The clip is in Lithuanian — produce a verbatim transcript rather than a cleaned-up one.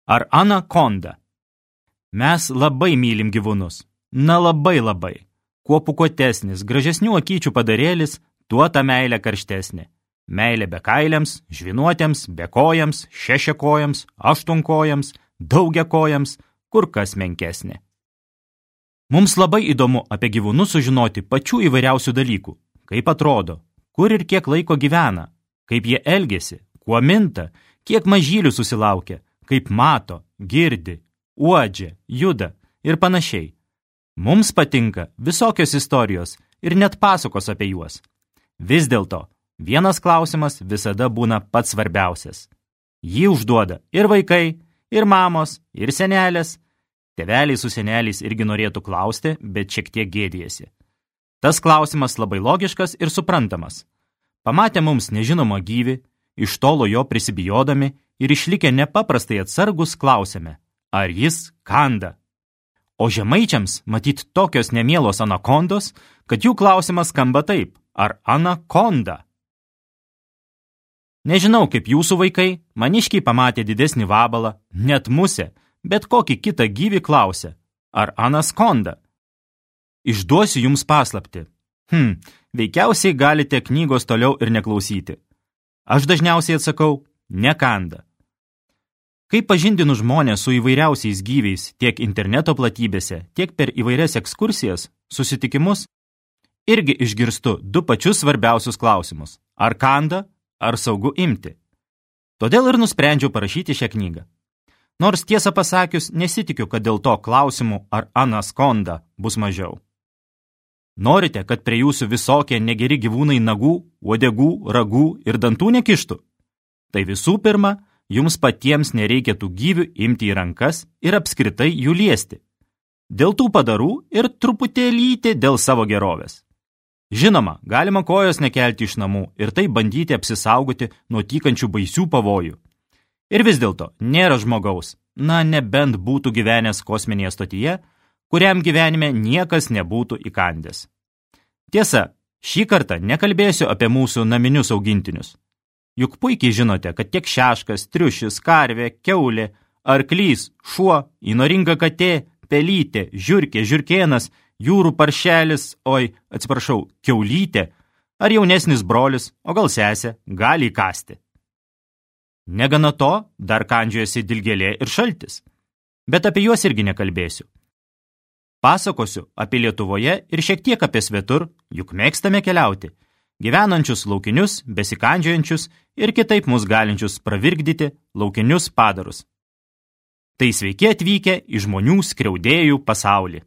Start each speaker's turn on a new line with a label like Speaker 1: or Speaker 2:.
Speaker 1: ar anakonda. Mes labai mylim gyvūnus. Na labai labai. Kuo pūkuotesnis, gražesnių akyčių padarėlis, tuo ta meilė karštesnė. Meilė bekailiams, žvinuotėms, bekojams, šešiakojams, aštuonkojams, daugiakojams, kur kas menkesnė. Mums labai įdomu apie gyvūnus sužinoti pačių įvairiausių dalykų. Kaip atrodo, kur ir kiek laiko gyvena, kaip jie elgiasi, kuo minta, kiek mažylių susilaukia, kaip mato, girdi, uodžia, juda ir panašiai. Mums patinka visokios istorijos ir net pasakos apie juos. Vis dėlto, vienas klausimas visada būna pats svarbiausias. Jį užduoda ir vaikai, ir mamos, ir senelės. Tėveliai su seneliais irgi norėtų klausti, bet šiek tiek gėdijasi. Tas klausimas labai logiškas ir suprantamas. Pamatę mums nežinomą gyvį, iš tolo jo prisibijodami ir išlikę nepaprastai atsargus klausėme, ar jis kanda. O žemaičiams matyt tokios nemielos anakondos, kad jų klausimas skamba taip, ar anakonda. Nežinau, kaip jūsų vaikai, maniškiai pamatė didesnį vabalą, net musę, bet kokį kitą gyvį klausė, ar anaskonda. Išduosiu jums paslaptį. Hm, veikiausiai galite knygos toliau ir neklausyti. Aš dažniausiai atsakau, nekanda. Kai pažindinu žmonės su įvairiausiais gyviais tiek interneto platybėse, tiek per įvairias ekskursijas, susitikimus, irgi išgirstu du pačius svarbiausius klausimus. Ar kanda, ar saugu imti. Todėl ir nusprendžiau parašyti šią knygą. Nors tiesą pasakius, nesitikiu, kad dėl to klausimų ar anaskonda bus mažiau. Norite, kad prie jūsų visokie negeri gyvūnai nagų, uodegų, ragų ir dantų nekištų? Tai visų pirma, jums patiems nereikia tų gyvių imti į rankas ir apskritai jų liesti. Dėl tų padarų ir truputėlytį dėl savo gerovės. Žinoma, galima kojos nekelti iš namų ir taip bandyti apsisaugoti nuo tykančių baisių pavojų. Ir vis dėlto nėra žmogaus, na nebent būtų gyvenęs kosminėje stotyje, kuriam gyvenime niekas nebūtų įkandęs. Tiesa, šį kartą nekalbėsiu apie mūsų naminius augintinius. Juk puikiai žinote, kad tiek šeškas, triušis, karvė, kiaulė, arklys, šuo, įnoringa katė, pelytė, žiurkė, žiurkėnas, jūrų paršelis, oi, atsiprašau, kiaulytė, ar jaunesnis brolis, o gal sesė, gali įkasti. Negana to, dar kandžiojasi dilgėlė ir šaltis. Bet apie juos irgi nekalbėsiu. Pasakosiu apie Lietuvoje ir šiek tiek apie svetur, juk mėgstame keliauti, gyvenančius laukinius, besikandžiojančius ir kitaip mus galinčius pravirkdyti laukinius padarus. Tai sveiki atvykę į žmonių skriaudėjų pasaulį.